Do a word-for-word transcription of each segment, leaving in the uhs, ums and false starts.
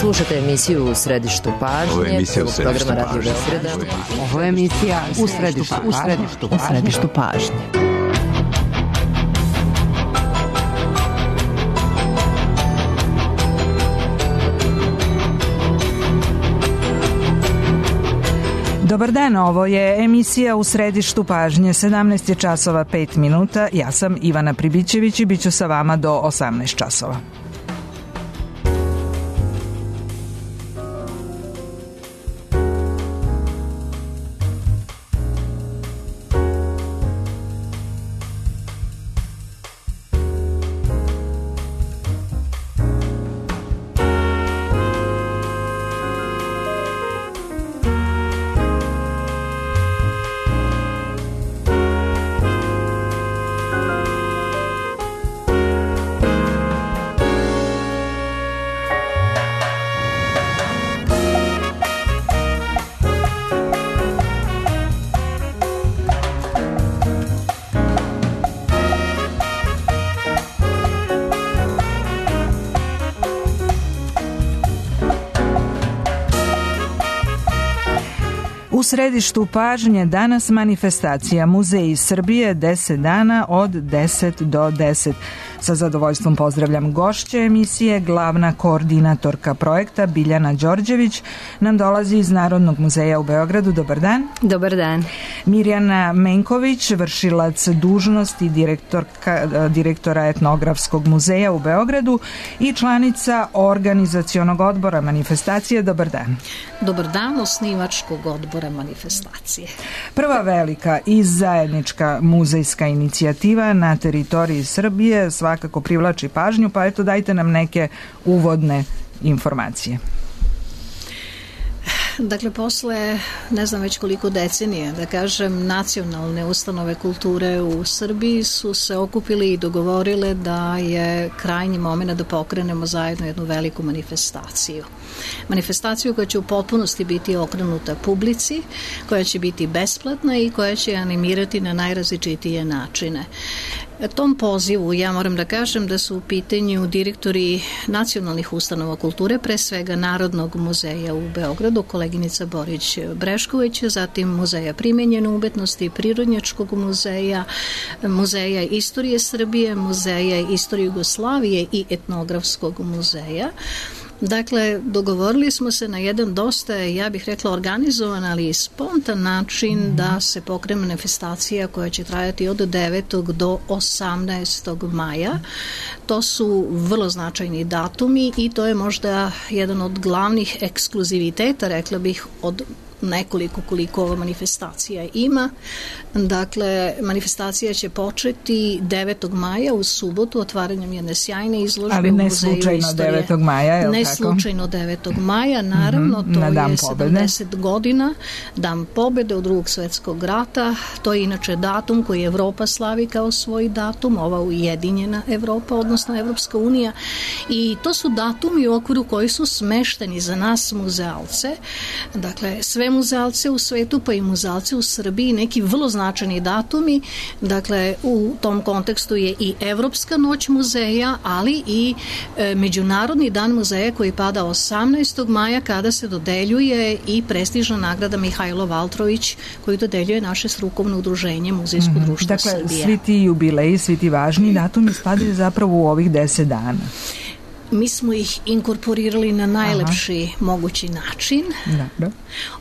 Slušate emisiju U središtu pažnje. Ovo je emisija U središtu pažnje. Ovo je emisija U središtu pažnje. U središtu pažnje. Dobar dan, ovo je emisija U središtu pažnje, sedamnaest je časova pet minuta, ja sam Ivana Pribićević i bit ću sa vama do osamnaest časova. U središtu pažnje danas manifestacija Muzeji Srbije deset dana od deset do deset. Sa zadovoljstvom pozdravljam gošće emisije, glavna koordinatorka projekta Biljana Đorđević nam dolazi iz Narodnog muzeja u Beogradu. Dobar dan. Dobar dan. Mirjana Menković, vršilac dužnosti direktorka, direktora Etnografskog muzeja u Beogradu i članica organizacionog odbora manifestacije. Dobar dan. Dobar dan, osnivačkog odbora manifestacije. Prva velika i zajednička muzejska inicijativa na teritoriji Srbije svakako privlači pažnju, pa eto dajte nam neke uvodne informacije. Dakle, posle, ne znam već koliko decenije, da kažem, nacionalne ustanove kulture u Srbiji su se okupili i dogovorile da je krajnji moment da pokrenemo zajedno jednu veliku manifestaciju. Manifestaciju koja će u potpunosti biti okrenuta publici, koja će biti besplatna i koja će animirati na najrazličitije načine. Tom pozivu ja moram da kažem da su u pitanju direktori nacionalnih ustanova kulture, pre svega Narodnog muzeja u Beogradu, koleginica Borić Brešković, zatim Muzeja primenjene umetnosti, Prirodnjačkog muzeja, Muzeja istorije Srbije, Muzeja istorije Jugoslavije i Etnografskog muzeja. Dakle, dogovorili smo se na jedan dosta, ja bih rekla, organizovan, ali i spontan način da se pokrene manifestacija koja će trajati od devetog do osamnaestog maja. To su vrlo značajni datumi i to je možda jedan od glavnih ekskluziviteta, rekla bih, od nekoliko koliko ova manifestacija ima. Dakle, manifestacija će početi devetog maja u subotu otvaranjem jedne sjajne izložbe u Muzeju istorije. Ali ne slučajno devetog maja, je li ne tako? Ne slučajno devetog maja, naravno, mm-hmm, to je sedamdeset godina, Dan pobede od Drugog svetskog rata. To je inače datum koji Evropa slavi kao svoj datum, ova ujedinjena Evropa, odnosno Evropska unija. I to su datumi u okviru koji su smešteni za nas muzealce. Dakle, sve muzealce u svetu, pa i muzealce u Srbiji, neki vrlo značajni datumi. Dakle, u tom kontekstu je i Evropska noć muzeja, ali i e, Međunarodni dan muzeja koji pada osamnaestog maja kada se dodeljuje i prestižna nagrada Mihajlo Valtrović koju dodeljuje naše strukovno udruženje Muzejsko mm-hmm. društvo dakle, Srbije. Dakle, svi ti jubileji, svi ti važni datumi spadaju zapravo u ovih deset dana. Mi smo ih inkorporirali na najlepši Aha. mogući način, Dobro.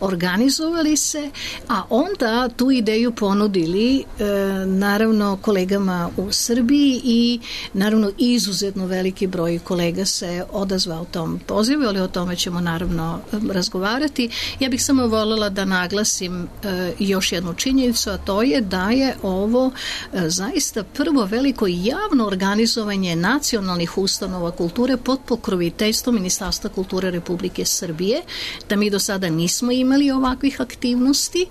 organizovali se, a onda tu ideju ponudili e, naravno kolegama u Srbiji i naravno izuzetno veliki broj kolega se odazvao tom pozivu, ali o tome ćemo naravno razgovarati. Ja bih samo voljela da naglasim e, još jednu činjenicu, a to je da je ovo e, zaista prvo veliko javno organizovanje nacionalnih ustanova kulture pod pokroviteljstvom Ministarstva kulture Republike Srbije, da mi do sada nismo imali ovakvih aktivnosti,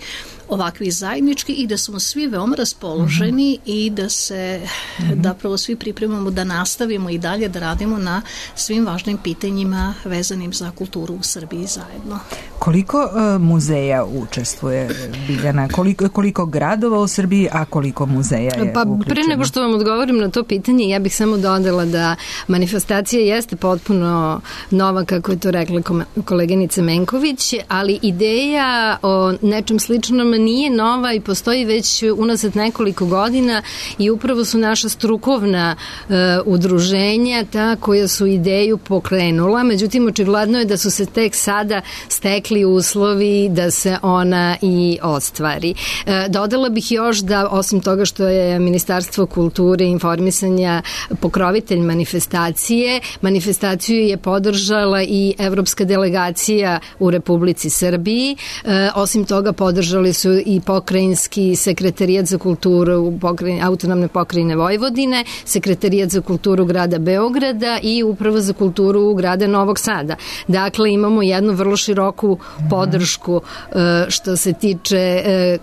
ovakvi zajednički i da smo svi veoma raspoloženi mm-hmm. i da se mm-hmm. da prvo svi pripremamo da nastavimo i dalje da radimo na svim važnim pitanjima vezanim za kulturu u Srbiji zajedno. Koliko uh, muzeja učestvuje, Biljana? Koliko, koliko gradova u Srbiji, a koliko muzeja je pa, uključeno? Pre nego što vam odgovorim na to pitanje, ja bih samo dodala da manifestacija jeste potpuno nova, kako je to rekla koleginica Menković, ali ideja o nečem sličnom nije nova i postoji već unazad nekoliko godina i upravo su naša strukovna uh, udruženja ta koja su ideju pokrenula, međutim očigledno je da su se tek sada stekli uslovi da se ona i ostvari. Uh, dodala bih još da osim toga što je Ministarstvo kulture i informisanja pokrovitelj manifestacije, manifestaciju je podržala i evropska delegacija u Republici Srbiji. E, osim toga podržali su i pokrajinski sekretarijat za kulturu u pokrajine, autonomne pokrajine Vojvodine, sekretarijat za kulturu grada Beograda i uprava za kulturu grada Novog Sada. Dakle, imamo jednu vrlo široku podršku e, što se tiče e,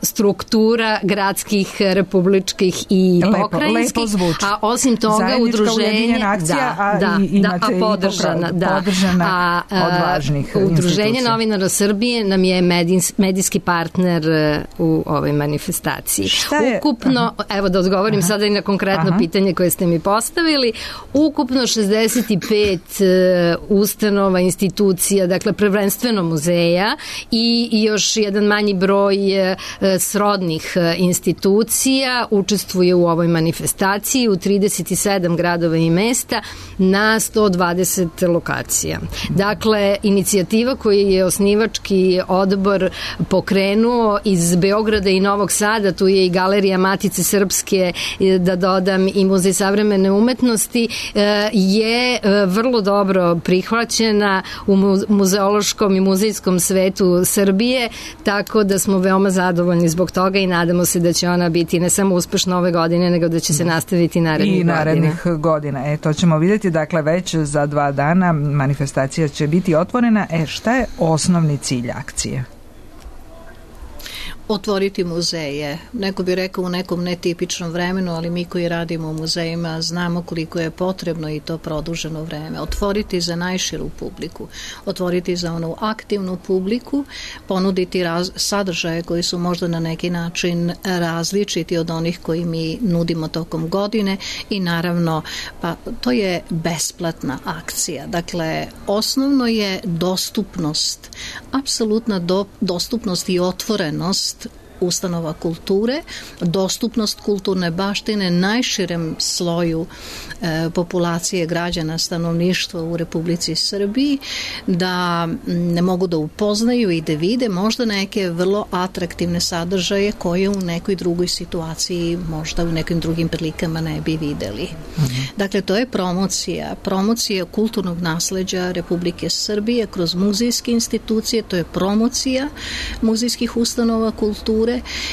struktura gradskih, republičkih i lepo, pokrajinskih, lepo a osim toga udruženje akcija, da, a da, i, da, a podržana, da, podržana a, a, od važnih Udruženje novinara Srbije nam je medijs, medijski partner u ovoj manifestaciji. Ukupno, aha, evo da odgovorim aha, sada i na konkretno aha, pitanje koje ste mi postavili, ukupno šezdeset pet uh, ustanova, institucija, dakle prvenstveno muzeja i još jedan manji broj uh, srodnih uh, institucija učestvuje u ovoj manifestaciji u trideset sedam gradova i mesta na sto dvadeset lokacija. Dakle, inicijativa koju je osnivački odbor pokrenuo iz Beograda i Novog Sada, tu je i Galerija Matice Srpske, da dodam i Muzej savremene umetnosti, je vrlo dobro prihvaćena u muzeološkom i muzejskom svetu Srbije, tako da smo veoma zadovoljni zbog toga i nadamo se da će ona biti ne samo uspešna ove godine, nego da će se nastaviti narednih godina. I narednih godina. godina. E, to ćemo vidjeti, dakle, već za dva dana manifestacija će biti otvorena. E, šta je osnovni cilj akcije? Otvoriti muzeje. Neko bi rekao u nekom netipičnom vremenu, ali mi koji radimo u muzejima znamo koliko je potrebno i to produženo vreme. Otvoriti za najširu publiku, otvoriti za onu aktivnu publiku, ponuditi raz, sadržaje koji su možda na neki način različiti od onih koji mi nudimo tokom godine i naravno, pa to je besplatna akcija. Dakle, osnovno je dostupnost, apsolutna do, dostupnost i otvorenost ustanova kulture, dostupnost kulturne baštine najširem sloju e, populacije građana, stanovništva u Republici Srbiji, da ne mogu da upoznaju i da vide možda neke vrlo atraktivne sadržaje koje u nekoj drugoj situaciji, možda u nekim drugim prilikama ne bi videli. Mm-hmm. Dakle, to je promocija, promocija kulturnog nasleđa Republike Srbije kroz muzejske institucije, to je promocija muzejskih ustanova kulture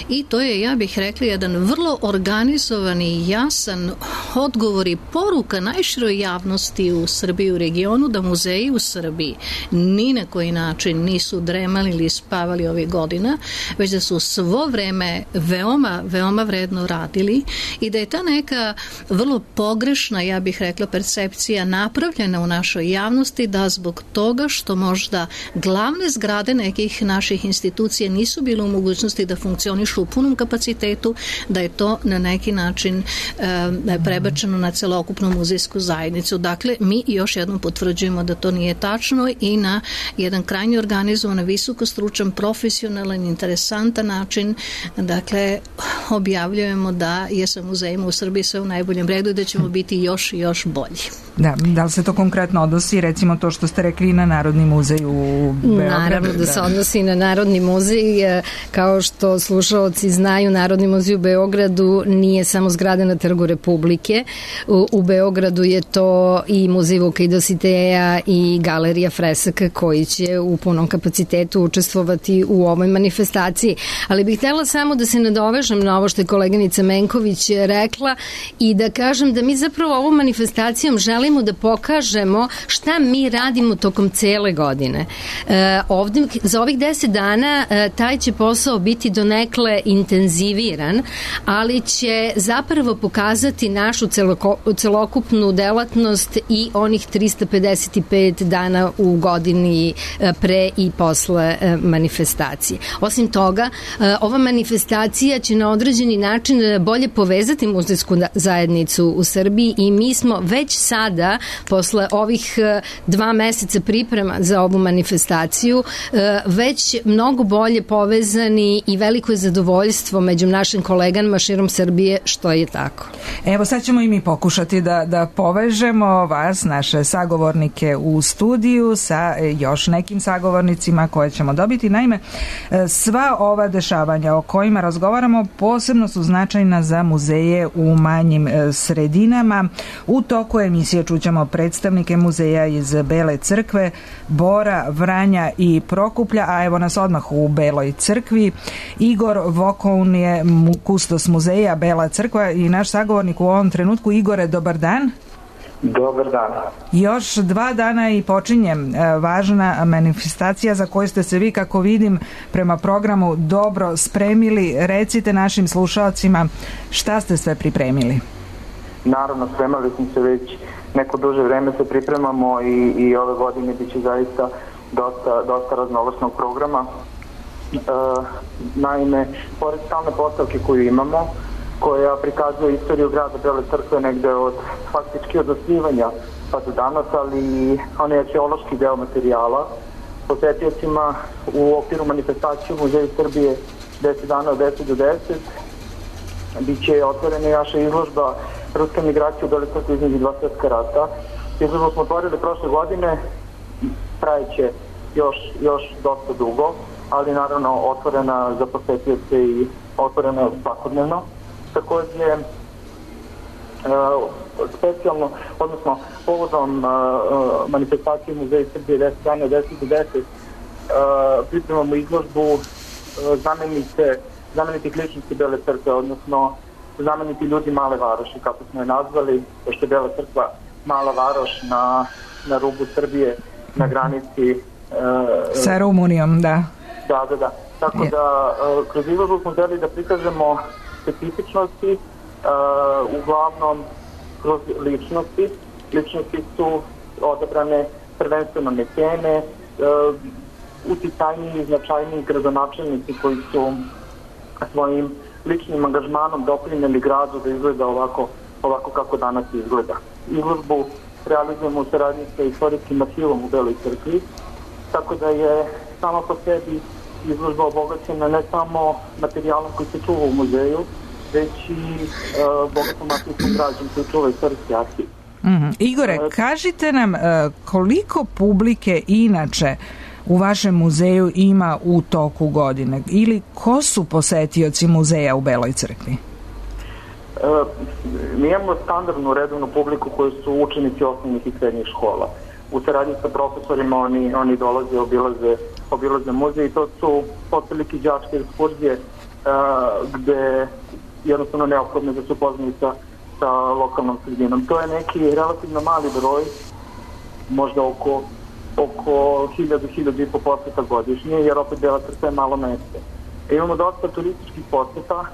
i to je, ja bih rekla, jedan vrlo organizovan i jasan odgovor i poruka najširoj javnosti u Srbiji, u regionu, da muzeji u Srbiji ni na koji način nisu dremali ili spavali ovih godina, već da su svo vreme veoma, veoma vredno radili i da je ta neka vrlo pogrešna, ja bih rekla, percepcija napravljena u našoj javnosti, da zbog toga što možda glavne zgrade nekih naših institucija nisu bile u mogućnosti da funkcionišu u punom kapacitetu, da je to na neki način e, prebačeno na celokupnu muzejsku zajednicu. Dakle, mi još jednom potvrđujemo da to nije tačno i na jedan krajnje organizovan, visokostručan, profesionalan, interesantan način, dakle, objavljujemo da je sa muzejima u Srbiji sve u najboljem redu i da ćemo biti još i još bolji. Da, da li se to konkretno odnosi, recimo to što ste rekli, na Narodni muzej u Beogradu? Naravno da se odnosi na Narodni muzej, kao što slušaoci znaju, Narodni muzej u Beogradu nije samo zgrada na Trgu Republike. U, u Beogradu je to i muzej Vuka i Dositeja i galerija fresaka koji će u punom kapacitetu učestvovati u ovoj manifestaciji. Ali bih htjela samo da se nadovežem na ovo što je koleginica Menković rekla i da kažem da mi zapravo ovom manifestacijom želimo da pokažemo šta mi radimo tokom cele godine. E, ovdje, za ovih deset dana e, taj će posao biti donekle intenziviran, ali će zapravo pokazati našu našu celoko, celokupnu delatnost i onih trista pedeset pet dana u godini pre i posle manifestacije. Osim toga, ova manifestacija će na određeni način bolje povezati muzejsku zajednicu u Srbiji i mi smo već sada, posle ovih dva meseca priprema za ovu manifestaciju, već mnogo bolje povezani i veliko je zadovoljstvo među našim kolegama širom Srbije što je tako. Evo sad ćemo i mi pokušati da, da povežemo vas, naše sagovornike u studiju sa još nekim sagovornicima koje ćemo dobiti. Naime, sva ova dešavanja o kojima razgovaramo posebno su značajna za muzeje u manjim sredinama. U toku emisije čućemo predstavnike muzeja iz Bele Crkve, Bora, Vranja i Prokuplja, a evo nas odmah u Beloj Crkvi. Igor Vokoun je kustos muzeja Bela Crkva i naš sagovornik u ovom trenutku. Igore, dobar dan. Dobar dan. Još dva dana i počinje važna manifestacija za koju ste se vi, kako vidim, prema programu dobro spremili. Recite našim slušalcima šta ste sve pripremili. Naravno, spremali smo se već neko duže vreme, se pripremamo i, i ove godine bit će zaista dosta, dosta raznovrsnog programa. E, naime, pored stalne postavke koju imamo, koja prikazuje istoriju grada Bele Crkve negde od faktički od osnivanja pa do danas, ali i onaj arheološki deo materijala. Posetiocima u okviru manifestacije u Muzeju Srbije deset dana od deset do deset bit će otvorena naša izložba Ruska migracija u Bele Crkve između dva svjetska rata. Izložbu smo otvorili prošle godine, trajeće još, još dosta dugo, ali naravno otvorena za posetioce i otvorena svakodnevno. Takođe, e, specijalno, odnosno povodom e, manifestacije Muzeja Srbije deset dana od deset do deset, e, pripremamo izložbu e, znamenice, znamenitih ličnosti Bele Crkve, odnosno znameniti ljudi Male Varoši, kako smo je nazvali, pošto je Bela Crkva mala varoš na, na rubu Srbije, na granici e, sa Rumunijom, da. Da, da, da. Tako je. Da, e, kroz izložbu smo želi da prikažemo specifičnosti, uh, uglavnom kroz ličnosti. Ličnosti su odabrane prvenstveno mecene, uh, uticajniji i značajniji gradonačelnici koji su svojim ličnim angažmanom doprineli gradu da izgleda ovako, ovako kako danas izgleda. Izložbu realizujemo u saradnji sa istorijskim arhivom u Beloj Crkvi, tako da je sama po sebi izložba obogaćena ne samo materijalom koji se čuva u muzeju, već i uh, bogatom arhivskom građom koji čuva istorijski arhiv. Mm-hmm. Igore, kažite nam uh, koliko publike inače u vašem muzeju ima u toku godine ili ko su posetioci muzeja u Beloj Crkvi? Uh, mi imamo standardnu redovnu publiku koji su učenici osnovnih i srednjih škola. U saradnji sa profesorima oni, oni dolaze, obilaze, obilaze muzej i to su otprilike đačke ekskurzije uh, gde jednostavno neophodno da su upoznani sa, sa lokalnom sredinom. To je neki relativno mali broj, možda oko, oko hiljadu, hiljadu i po poseta godišnje, jer opet Bela Crkva je malo mesto. E, imamo dosta turističkih poseta,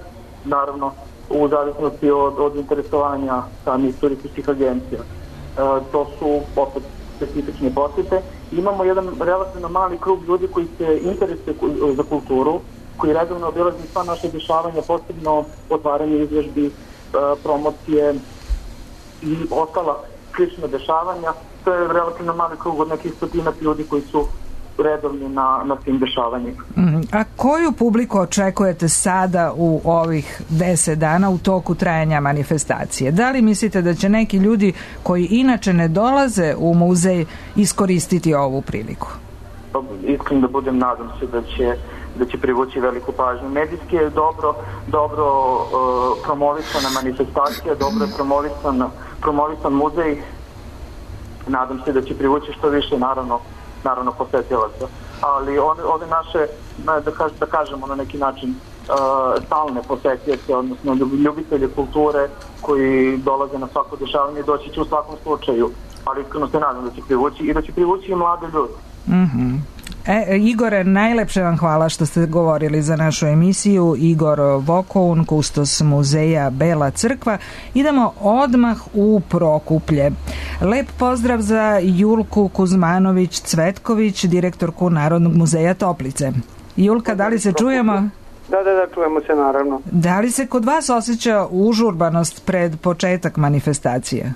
naravno u zavisnosti od, od interesovanja samih turističkih agencija. E, to su opet specifične posete. Imamo jedan relativno mali krug ljudi koji se interesuje za kulturu, koji redovno obilazi sva naše dešavanja, posebno otvaranje izložbi, promocije i ostala slična dešavanja. To je relativno mali krug od nekih stotinak ljudi koji su redovni na, na tim dešavanjima. A koju publiku očekujete sada u ovih deset dana u toku trajanja manifestacije? Da li mislite da će neki ljudi koji inače ne dolaze u muzej iskoristiti ovu priliku? Iskreno da budem, nadam se da će da će privući veliku pažnju. Medijski je dobro, dobro uh, promovisana manifestacija, dobro je promovisan, promovisan muzej. Nadam se da će privući što više, naravno, naravno posetilaca. Ali ove, ove naše, da, kaž, da kažemo na neki način, uh, stalne posetioce, odnosno ljubitelje kulture koji dolaze na svako dešavanje, doći će u svakom slučaju. Ali iskreno se nadam da će privući i da će privući i mlade ljudi. Mhm. E, Igore, najlepše vam hvala što ste govorili za našu emisiju. Igor Vokoun, kustos muzeja Bela crkva. Idemo odmah u Prokuplje. Lep pozdrav za Julku Kuzmanović-Cvetković, direktorku Narodnog muzeja Toplice. Julka, da li se čujemo? Da, da, da, čujemo se naravno. Da li se kod vas osjeća užurbanost pred početak manifestacije? E,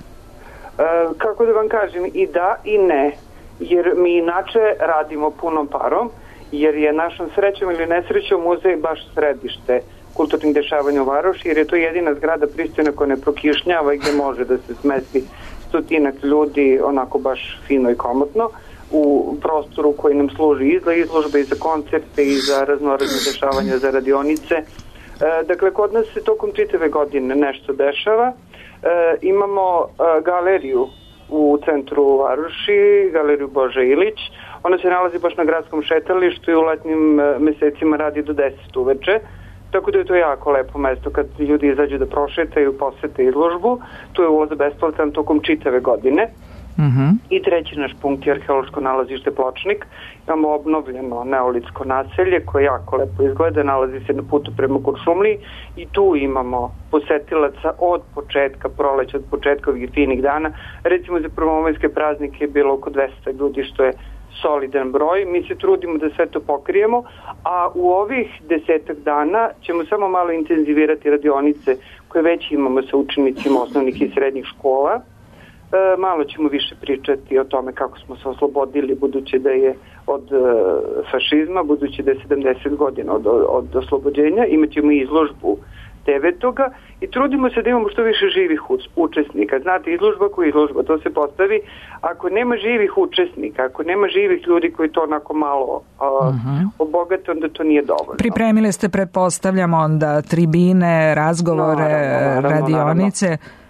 kako da vam kažem, i da i ne. Jer mi inače radimo punom parom, jer je našom srećom ili nesrećom muzej baš središte kulturnih dešavanja u Varoši, jer je to jedina zgrada pristojna koja ne prokišnjava i gde može da se smesti stotinak ljudi onako baš fino i komotno u prostoru koji nam služi i za izložbe, i za koncerte, i za raznorazne dešavanja, za radionice. E, dakle, kod nas se tokom čitave godine nešto dešava. E, imamo e, galeriju u centru Varoši, galeriju Boža Ilić. Ona se nalazi baš na gradskom šetalištu i u letnjim mesecima radi do deset uveče. Tako da je to jako lepo mesto kad ljudi izađu da prošetaju, posete izložbu. Tu je ulaz besplatan tokom čitave godine. Uh-huh. I treći naš punkt je arheološko nalazište Pločnik. Imamo obnovljeno neolitsko naselje koje jako lepo izgleda, nalazi se na putu prema Kuršumliji i tu imamo posetilaca od početka proleća, od početka ovih finih dana. Recimo za prvomajske praznike je bilo oko dvesta ljudi, što je solidan broj. Mi se trudimo da sve to pokrijemo, a u ovih desetak dana ćemo samo malo intenzivirati radionice koje već imamo sa učenicima osnovnih i srednjih škola. E, malo ćemo više pričati o tome kako smo se oslobodili, budući da je od e, fašizma, budući da je sedamdeset godina od, od oslobođenja. Imaćemo i izložbu devetoga i trudimo se da imamo što više živih učesnika. Znate, izložba koja je izložba, to se postavi. Ako nema živih učesnika, ako nema živih ljudi koji to onako malo a, uh-huh. obogate, onda to nije dovoljno. Pripremili ste, pretpostavljam, onda tribine, razgovore, naravno, naravno, radionice. Naravno.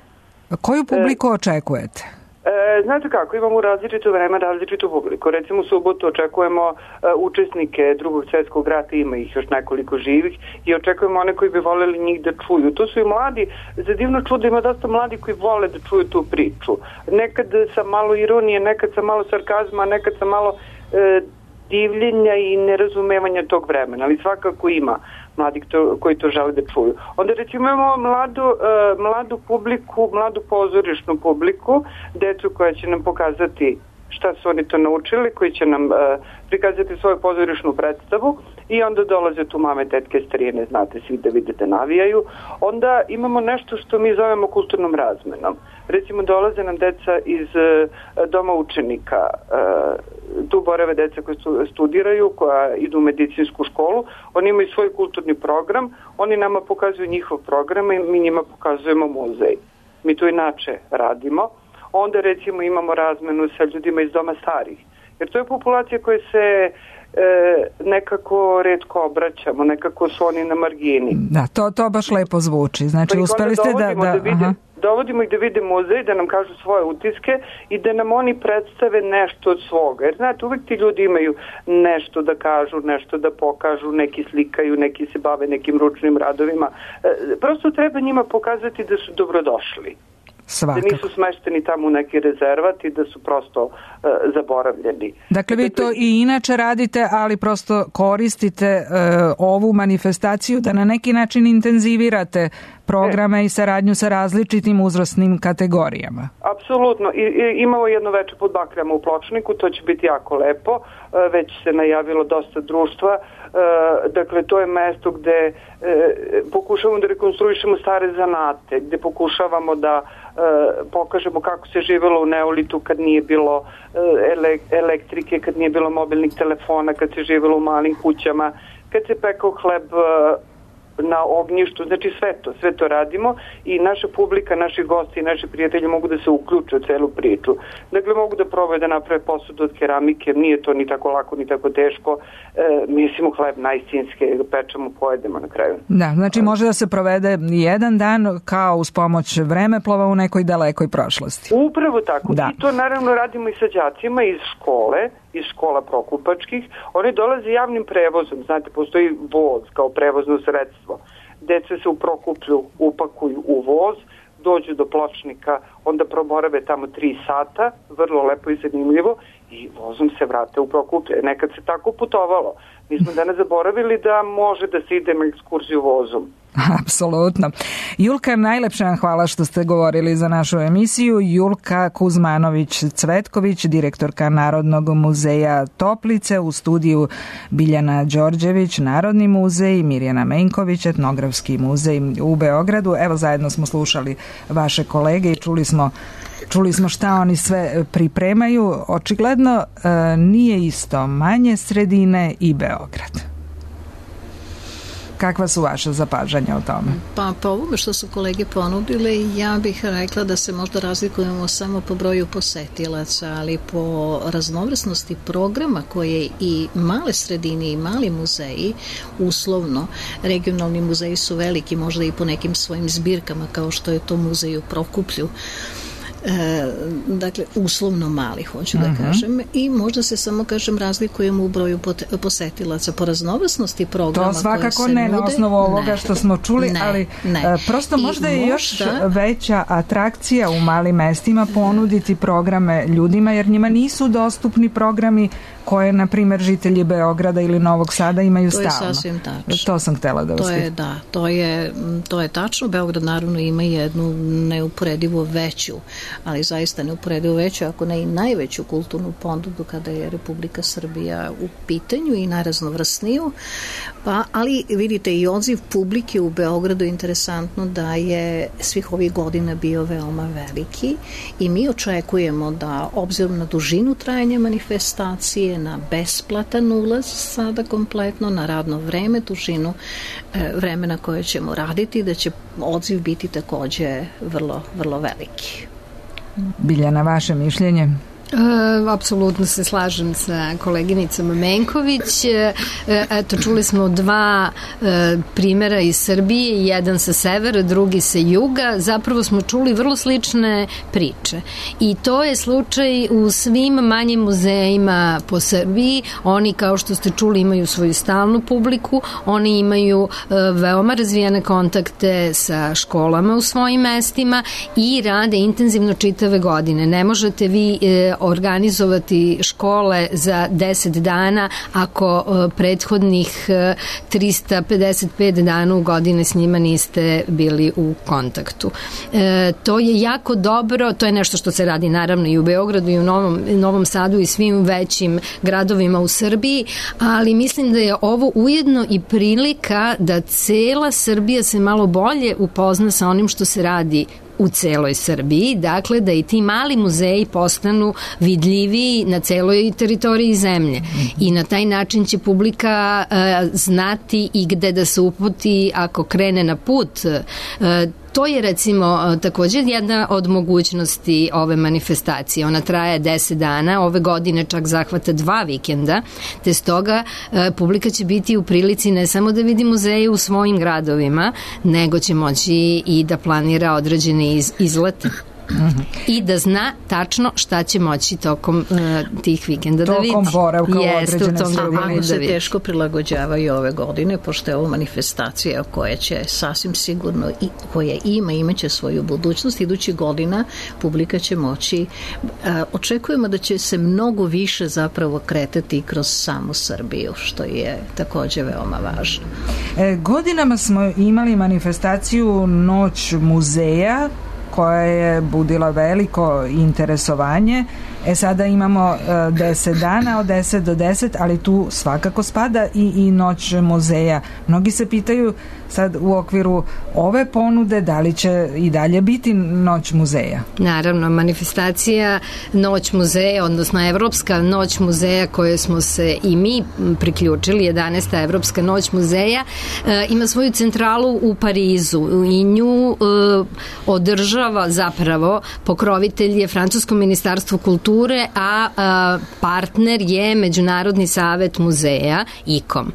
Koju publiku očekujete? E, znate kako, imamo različito vreme, različitu publiku. Recimo u subotu očekujemo e, učesnike drugog svjetskog rata, ima ih još nekoliko živih i očekujemo one koji bi voljeli njih da čuju. To su i mladi, za divno čudo ima dosta mladi koji vole da čuju tu priču. Nekad sa malo ironije, nekad sa malo sarkazma, nekad sa malo e, divljenja i nerazumevanja tog vremena, ali svakako ima mladih to, koji to žele da čuju. Onda recimo imamo mladu, uh, mladu publiku, mladu pozorišnu publiku, decu koja će nam pokazati šta su oni to naučili, koji će nam uh, prikazati svoju pozorišnu predstavu i onda dolaze tu mame, tetke, starine, znate, svi da vide da navijaju. Onda imamo nešto što mi zovemo kulturnom razmenom. Recimo dolaze nam deca iz uh, doma učenika, uh, tu borave deca koje studiraju, koja idu u medicinsku školu, oni imaju svoj kulturni program, oni nama pokazuju njihov program i mi njima pokazujemo muzej. Mi to inače radimo. Onda recimo imamo razmenu sa ljudima iz doma starih, jer to je populacija koja se e, nekako retko obraćamo, nekako su oni na margini. Da, to, to baš lepo zvuči. Znači, pa uspeli ste da... da, da vide, aha. Dovodimo ih da vide muzej, da nam kažu svoje utiske i da nam oni predstave nešto od svoga. Jer znate, uvek ti ljudi imaju nešto da kažu, nešto da pokažu, neki slikaju, neki se bave nekim ručnim radovima. E, prosto treba njima pokazati da su dobrodošli. Svakako. Da nisu smešteni tamo u neki rezervat i da su prosto uh, zaboravljeni. Dakle, vi to i inače radite, ali prosto koristite uh, ovu manifestaciju da na neki način intenzivirate programe e. i saradnju sa različitim uzrasnim kategorijama. Apsolutno. I, i, imamo jedno veče pod bakljama u Pločniku, to će biti jako lepo. Uh, već se najavilo dosta društva. Uh, dakle, to je mesto gde uh, pokušavamo da rekonstruišemo stare zanate, gde pokušavamo da uh, pokažemo kako se živelo u neolitu kad nije bilo uh, ele, elektrike, kad nije bilo mobilnih telefona, kad se živelo u malim kućama, kad se pekao hleb uh, na ognjištu, znači sve to, sve to radimo i naša publika, naši gosti i naši prijatelji mogu da se uključe u celu priču. Dakle, mogu da probaju da naprave posudu od keramike, nije to ni tako lako, ni tako teško. E, mislimo hleb najstinske, pečemo, pojedemo na kraju. Da, znači može da se provede jedan dan kao uz pomoć vremeplova u nekoj dalekoj prošlosti. Upravo tako. Da. I to naravno radimo i sa đacima iz škole, iz škola prokupačkih. Oni dolaze javnim prevozom. Znate, postoji voz kao prevozno sredstvo. Deca se u Prokuplju upakuju u voz, dođu do Pločnika, onda promorave tamo tri sata, vrlo lepo i zanimljivo, i vozom se vrate u Prokuplje. Nekad se tako putovalo. Mi smo danas zaboravili da može da se ide na ekskurziju vozom. Apsolutno. Julka, najlepša vam hvala što ste govorili za našu emisiju. Julka Kuzmanović-Cvetković, direktorka Narodnog muzeja Toplice, u studiju Biljana Đorđević, Narodni muzej, Mirjana Menković, Etnografski muzej u Beogradu. Evo, zajedno smo slušali vaše kolege i čuli smo Čuli smo šta oni sve pripremaju. Očigledno e, nije isto manje sredine i Beograd. Kakva su vaše zapažanja o tome? Pa po ovome što su kolege ponudile, ja bih rekla da se možda razlikujemo samo po broju posetilaca, ali po raznovrsnosti programa koje i male sredine i mali muzeji, uslovno, regionalni muzeji su veliki, možda i po nekim svojim zbirkama, kao što je to muzej u Prokuplju, E, dakle, uslovno mali, hoću da uh-huh. kažem, i možda se samo, kažem, razlikujemo u broju posetilaca po raznovrsnosti programa. To svakako ne nude, na osnovu ovoga ne, što smo čuli, ne, ali ne. prosto možda I je još možda, veća atrakcija u malim mestima ponuditi programe ljudima, jer njima nisu dostupni programi koje, na primjer, žitelji Beograda ili Novog Sada imaju stalno. To je sasvim tačno. To sam htela da vas to je, da, to je, to je tačno. Beograd naravno ima jednu neuporedivo veću, ali zaista neuporedivo veću, ako ne i najveću kulturnu ponudu kada je Republika Srbija u pitanju i najraznovrsniju. Pa, ali vidite, i odziv publike u Beogradu je interesantno da je svih ovih godina bio veoma veliki i mi očekujemo da, obzirom na dužinu trajanja manifestacije, na besplatan ulaz sada kompletno, na radno vreme, dužinu e, vremena koje ćemo raditi, da će odziv biti takođe vrlo, vrlo veliki. Biljana, vaše mišljenje? E, apsolutno se slažem sa koleginicom Menković. E, eto, čuli smo dva e, primjera iz Srbije, jedan sa severa, drugi sa juga. Zapravo smo čuli vrlo slične priče. I to je slučaj u svim manjim muzejima po Srbiji. Oni, kao što ste čuli, imaju svoju stalnu publiku, oni imaju e, veoma razvijene kontakte sa školama u svojim mestima i rade intenzivno čitave godine. Ne možete vi e, organizovati škole za deset dana ako uh, prethodnih uh, trista pedeset pet dana u godine s njima niste bili u kontaktu. E, to je jako dobro, to je nešto što se radi naravno i u Beogradu i u Novom, Novom Sadu i svim većim gradovima u Srbiji, ali mislim da je ovo ujedno i prilika da cela Srbija se malo bolje upozna sa onim što se radi u celoj Srbiji, dakle da i ti mali muzeji postanu vidljiviji na celoj teritoriji zemlje i na taj način će publika uh, znati i gde da se uputi ako krene na put. Uh, To je recimo također jedna od mogućnosti ove manifestacije. Ona traje deset dana, ove godine čak zahvata dva vikenda, te stoga e, publika će biti u prilici ne samo da vidi muzeje u svojim gradovima, nego će moći i da planira određene iz, izlete. Mm-hmm. I da zna tačno šta će moći tokom uh, tih vikenda da vidi. Tokom boravka u određene sredine. Ako se teško prilagođavaju ove godine, pošto je ovo manifestacija koja će sasvim sigurno, i, koja ima, imaće svoju budućnost, idući godina publika će moći, uh, očekujemo da će se mnogo više zapravo kretati kroz samu Srbiju, što je takođe veoma važno. E, godinama smo imali manifestaciju Noć muzeja, koja je budila veliko interesovanje. E sada imamo uh, deset dana od deset do deset, ali tu svakako spada i, i Noć muzeja. Mnogi se pitaju sad u okviru ove ponude da li će i dalje biti Noć muzeja. Naravno, manifestacija Noć muzeja, odnosno Evropska Noć muzeja koje smo se i mi priključili, jedanaesta Evropska Noć muzeja, e, ima svoju centralu u Parizu i nju e, održava zapravo pokrovitelj je Francusko ministarstvo kulture, a, a partner je Međunarodni savet muzeja I K O M.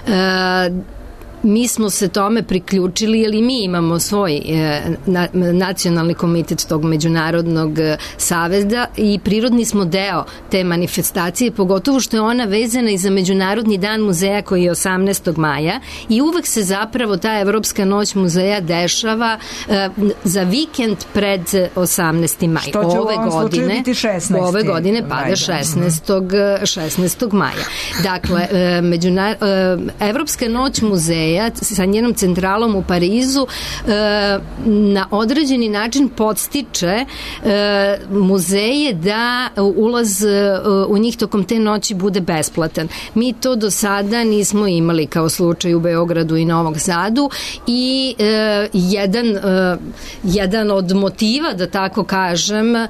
E, mi smo se tome priključili, jer i mi imamo svoj e, na, nacionalni komitet tog međunarodnog e, saveza i prirodni smo deo te manifestacije, pogotovo što je ona vezana i za Međunarodni dan muzeja koji je osamnaestog maja i uvek se zapravo ta Evropska noć muzeja dešava e, za vikend pred osamnaesti maj. Što će ove u ovom godine, slučaju biti šesnaesti Ove godine pada šesnaestog šesnaestog maja. Dakle, e, međunar, e, Evropska noć muzeja sa njenom centralom u Parizu e, na određeni način podstiče e, muzeje da ulaz e, u njih tokom te noći bude besplatan. Mi to do sada nismo imali kao slučaj u Beogradu i Novom Sadu i e, jedan, e, jedan od motiva, da tako kažem, e,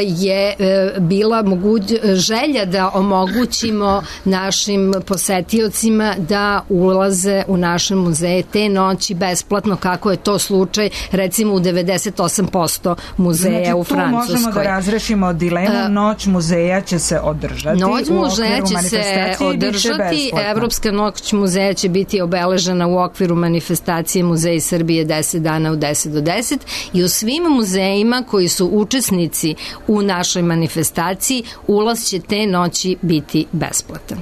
je e, bila moguć, želja da omogućimo našim posetiocima da ulaze u naše muzeje te noći besplatno, kako je to slučaj recimo u devedeset osam posto muzeja znači, u Francuskoj. Znači tu možemo da razrešimo dilemu, noć muzeja će se održati. Noć muzeja će se održati, Evropska noć muzeja će biti obeležena u okviru manifestacije Muzeji Srbije deset dana u deset do deset i u svim muzejima koji su učesnici u našoj manifestaciji ulaz će te noći biti besplatan.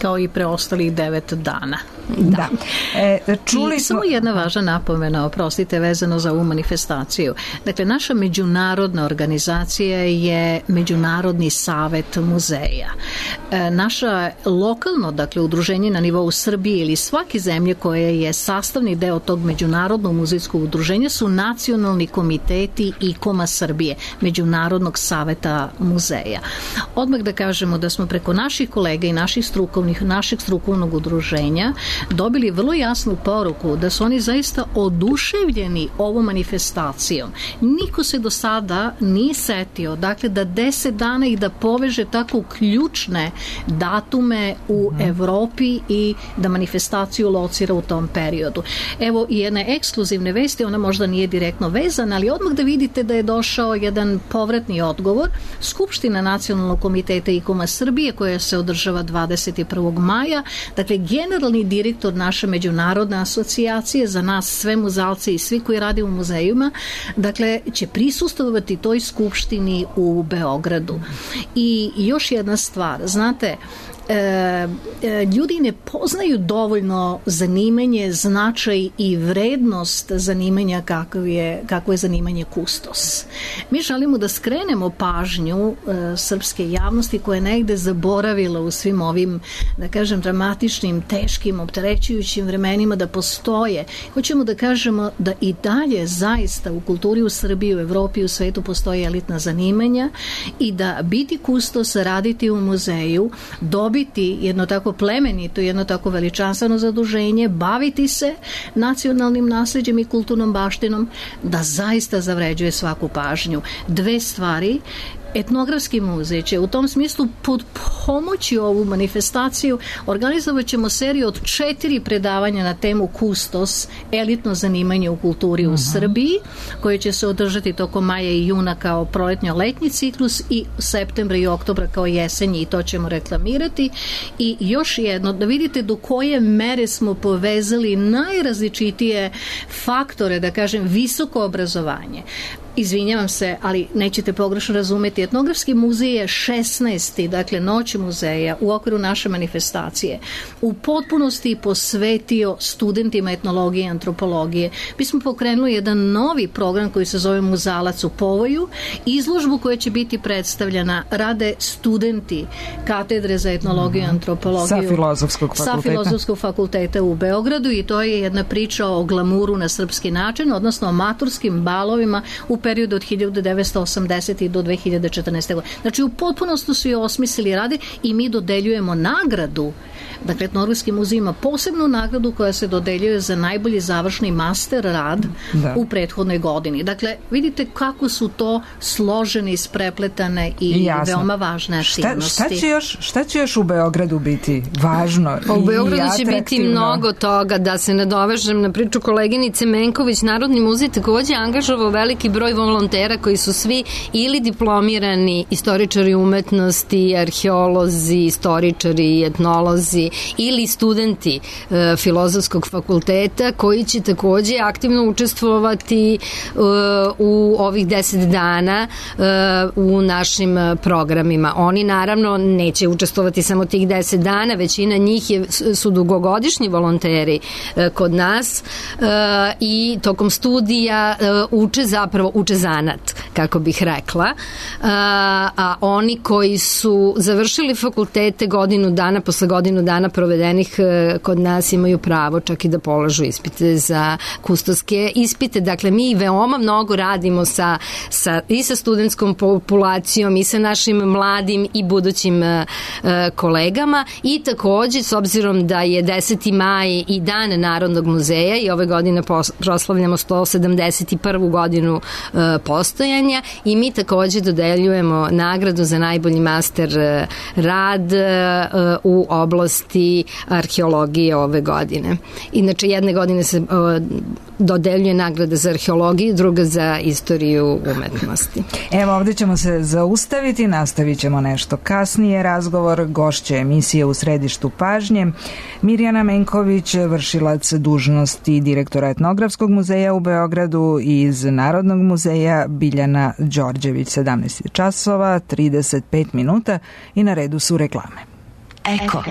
Kao i preostalih devet dana. Da. E, čuli I smo... samo jedna važna napomena, oprostite, vezano za ovu manifestaciju. Dakle, naša međunarodna organizacija je Međunarodni savet muzeja. E, naša lokalno, dakle, udruženje na nivou Srbije ili svake zemlje koje je sastavni deo tog međunarodnog muzejskog udruženja su nacionalni komiteti I K O M-a Srbije, Međunarodnog saveta muzeja. Odmah da kažemo da smo preko naših kolega i naših strukovnih, našeg strukovnog udruženja dobili vrlo jasnu poruku da su oni zaista oduševljeni ovom manifestacijom. Niko se do sada nije setio, dakle, da deset dana i da poveže tako ključne datume u mm. Evropi i da manifestaciju locira u tom periodu. Evo i jedne ekskluzivne vesti, ona možda nije direktno vezana, ali odmah da vidite da je došao jedan povratni odgovor. Skupština Nacionalnog komiteta I K O M-a Srbije, koja se održava dvadeset prvog maja, dakle, generalni direktor naše međunarodne asocijacije, za nas sve muzalce i svi koji rade u muzejima, dakle, će prisustvovati toj skupštini u Beogradu. I još jedna stvar, znate, E, ljudi ne poznaju dovoljno zanimanje, značaj I vrednost zanimanja kako je, kako je zanimanje kustos. Mi želimo da skrenemo pažnju e, srpske javnosti koja je negde zaboravila u svim ovim, da kažem, dramatičnim, teškim, opterećujućim vremenima da postoje. Hoćemo da kažemo da I dalje zaista u kulturi u Srbiji, u Evropi, u svetu postoje elitna zanimanja i da biti kustos, raditi u muzeju, dobiti jedno tako plemenito, jedno tako veličanstveno zaduženje, baviti se nacionalnim nasleđem I kulturnom baštinom, da zaista zavređuje svaku pažnju. Dve stvari. Etnografski muzej će u tom smislu pod pomoći ovu manifestaciju organizovat ćemo seriju od četiri predavanja na temu kustos, elitno zanimanje u kulturi uh-huh. u Srbiji, koje će se održati tokom maja I juna kao proletnjo-letnji ciklus i septembra I oktobra kao jesenji, i to ćemo reklamirati. I još jedno, da vidite do koje mere smo povezali najrazličitije faktore, da kažem, visoko obrazovanje. Izvinjavam se, ali nećete pogrešno razumeti. Etnografski muzej je šesnaesti, dakle noć muzeja u okviru naše manifestacije, u potpunosti posvetio studentima etnologije i antropologije. Mi smo pokrenuli jedan novi program koji se zove Muzalac u povoju, izložbu koja će biti predstavljena rade studenti katedre za etnologiju i antropologiju sa Filozofskog fakulteta. sa Filozofskog fakulteta u Beogradu, i to je jedna priča o glamuru na srpski način, odnosno o maturskim balovima u periodu od hiljadu devetsto osamdesete do dve hiljade četrnaeste. godine. Znači, u potpunosti su je osmislili rade i mi dodeljujemo nagradu. Dakle, Etnografski muzej ima posebnu nagradu koja se dodeljuje za najbolji završni master rad da. u prethodnoj godini. Dakle, vidite kako su to složene, isprepletane i Jasno. veoma važne aktivnosti. Šta, šta, će još, šta će još u Beogradu biti važno i U Beogradu će biti mnogo toga. Da se nadovežem na priču koleginice Menković, Narodni muzej takođe angažovao veliki broj broj volontera koji su svi ili diplomirani istoričari umetnosti, arheolozi, istoričari, etnolozi ili studenti e, Filozofskog fakulteta koji će takođe aktivno učestvovati e, u ovih deset dana e, u našim programima. Oni naravno neće učestvovati samo tih deset dana, većina njih je, su dugogodišnji volonteri e, kod nas e, i tokom studija e, uče zapravo, uče zanat, kako bih rekla, a, a oni koji su završili fakultete godinu dana, posle godinu dana provedenih e, kod nas imaju pravo čak i da polažu ispite za kustoske ispite. Dakle, mi veoma mnogo radimo sa, sa, i sa studentskom populacijom i sa našim mladim i budućim e, kolegama i takođe, s obzirom da je deseti maj i dan Narodnog muzeja i ove godine proslavljamo sto sedamdeset prvu godinu e, postojanja i mi takođe dodeljujemo nagradu za najbolji master rad e, u oblasti arheologije ove godine. Inače, jedne godine se e, dodeljuje nagrada za arheologiju, druga za istoriju umetnosti. Evo, ovde ćemo se zaustaviti, nastavit ćemo nešto kasnije. Razgovor gošće emisije U središtu pažnje Mirjana Menković, vršilac dužnosti direktora Etnografskog muzeja u Beogradu, i iz Narodnog muzeja Biljana Đorđević. Sedamnaest časova, trideset pet minuta i na redu su reklame. Eko.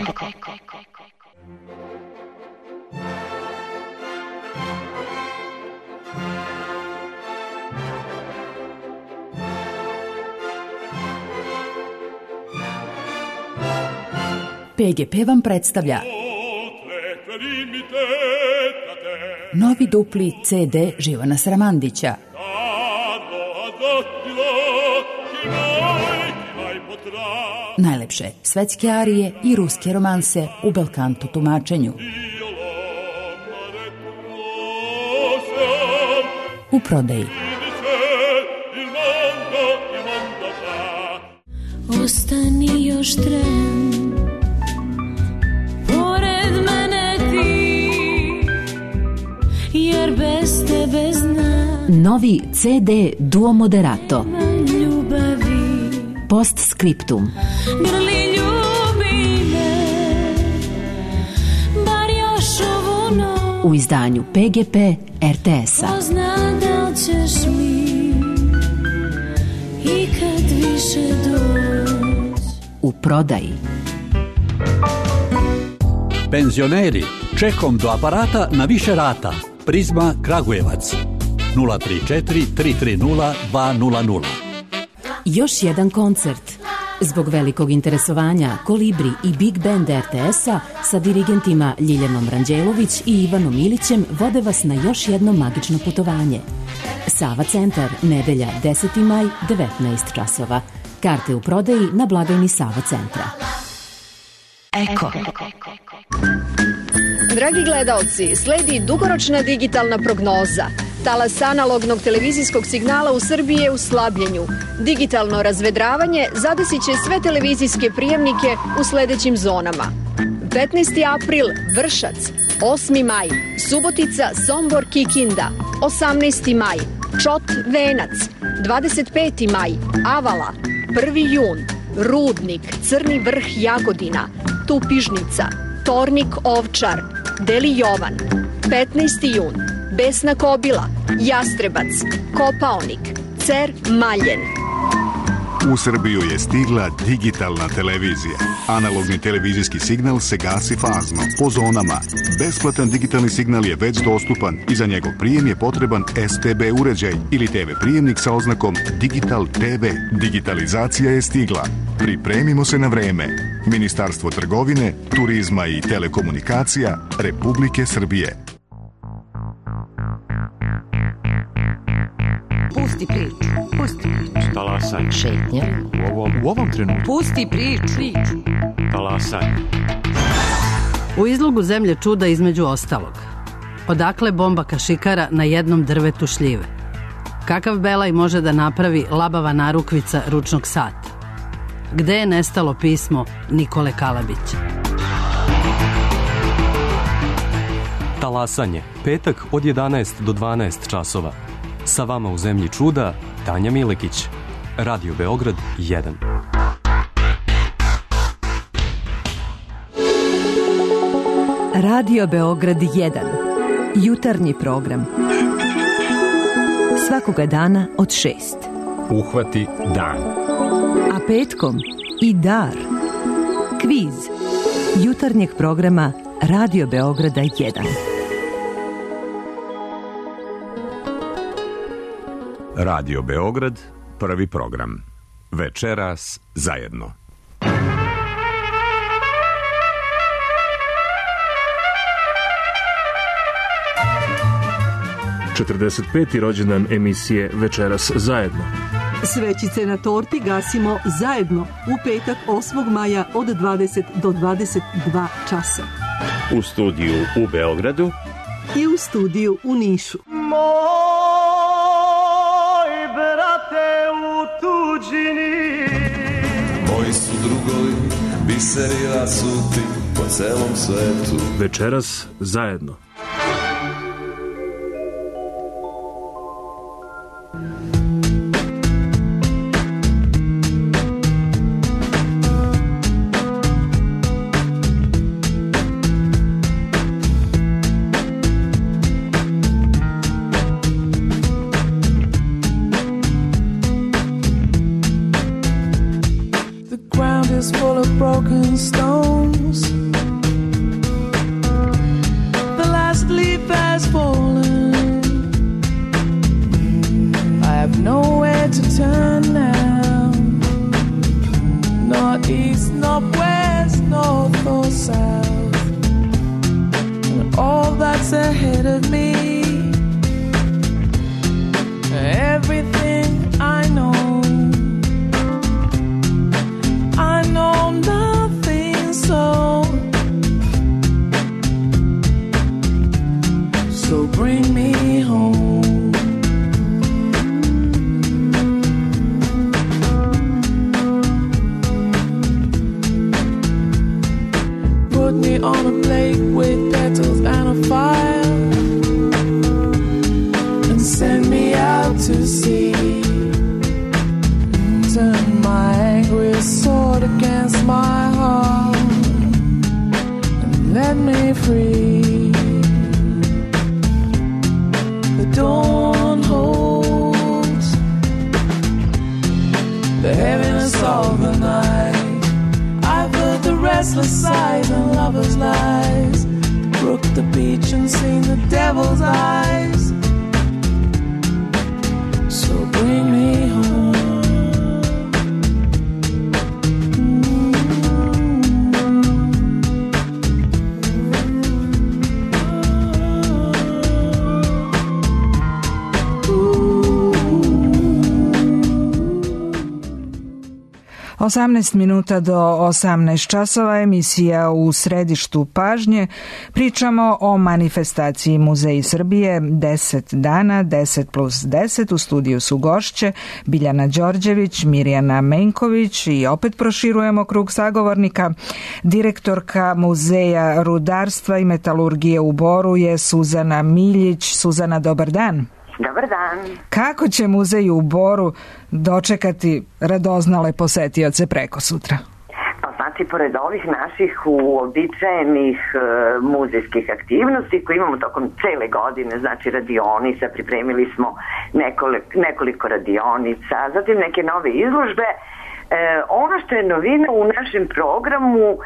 P G P vam predstavlja novi dupli C D Živana Sramandića. Najlepše svetske arije i ruske romanse u belkanto tumačenju. U prodaji. Ostani još tren, pored mene ti, jer bez tebe znam. Novi C D Duo Moderato. Ljubavi. Postscriptum. Grli ljubi me, bar još ovu noć. U izdanju P G P R T S-a. Pozna da ćeš mi ikad više doći. U prodaji. Penzioneri, čekom do aparata na više rata. Prizma Kragujevac. nula tri četiri tri tri nula dva nula nula. Još jedan koncert. Zbog velikog interesovanja Kolibri i Big Band R T S-a sa dirigentima Ljiljanom Ranđelović i Ivanom Ilićem vode vas na još jedno magično putovanje. Sava centar, nedelja deseti maj, devetnaest časova. Karte u prodaji na blagajni Sava centra. Eko. Dragi gledaoci, sledi dugoročna digitalna prognoza. Talas analognog televizijskog signala u Srbiji je u slabljenju. Digitalno razvedravanje zadesit će sve televizijske prijemnike u sledećim zonama. petnaesti april Vršac, osmi maj Subotica, Sombor, Kikinda, osamnaesti maj Čot, Venac, dvadeset peti maj Avala, prvi jun Rudnik, Crni Vrh, Jagodina, Tupižnica, Tornik, Ovčar, Deli Jovan, petnaesti jun Besna Kobila, Jastrebac, Kopaonik, Cer, Maljen. U Srbiju je stigla digitalna televizija. Analogni televizijski signal se gasi fazno, po zonama. Besplatan digitalni signal je već dostupan i za njegov prijem je potreban S T B uređaj ili T V prijemnik sa oznakom Digital T V. Digitalizacija je stigla. Pripremimo se na vreme. Ministarstvo trgovine, turizma i telekomunikacija Republike Srbije. Pusti priču, pusti priču. Talasaj. Šetnja. U ovom, u ovom trenutku. Pusti priču. Talasaj. U izlogu Zemlje čuda između ostalog. Odakle bomba kašikara na jednom drvetu šljive? Kakav belaj može da napravi labava narukvica ručnog sata? Gde je nestalo pismo Nikole Kalabića? Talasanje. Petak od jedanaest do dvanaest časova. Sa vama u zemlji čuda, Tanja Milekić. Radio Beograd jedan. Radio Beograd jedan. Jutarnji program. Svakoga dana od šest. Uhvati dan. A petkom i dar. Kviz. Jutarnjeg programa Radio Beograda jedan. Radio Beograd, prvi program. Večeras zajedno. četrdeset peti rođendan emisije Večeras zajedno. Svećice na torti gasimo zajedno u petak osmog maja od dvadeset do dvadeset dva časa. U studiju u Beogradu i u studiju u Nišu. Moj brate u tuđini, moji su drugovi, biseri rasuti po celom svetu. Večeras zajedno. Full of broken stones. The last leaf has fallen. I have nowhere to turn now. Not east, not west, north or south. And all that's ahead of me, everything I know, I know nothing, so so bring me home. Put me on a plate with petals and a fire, and send me out to sea. Turn my angry sword against my heart and let me free. The dawn holds the heaviness of the night. I've heard the restless sighs and lovers' lies, the brook, the beach, and seen the devil's eyes. So bring me home. osamnaest minuta do osamnaest časova, emisija U središtu pažnje. Pričamo o manifestaciji Muzeji Srbije deset dana, deset plus deset. U studiju su gošće Biljana Đorđević, Mirjana Menković i opet proširujemo krug sagovornika. Direktorka Muzeja rudarstva i metalurgije u Boru je Suzana Miljić. Suzana, dobar dan. Dobar dan. Kako će muzej u Boru dočekati radoznale posetioce preko sutra? Pa znači, pored ovih naših uobičajenih e, muzejskih aktivnosti koje imamo tokom cele godine, znači radionica, pripremili smo nekoliko, nekoliko radionica, zatim neke nove izložbe. E, ono što je novina u našem programu e,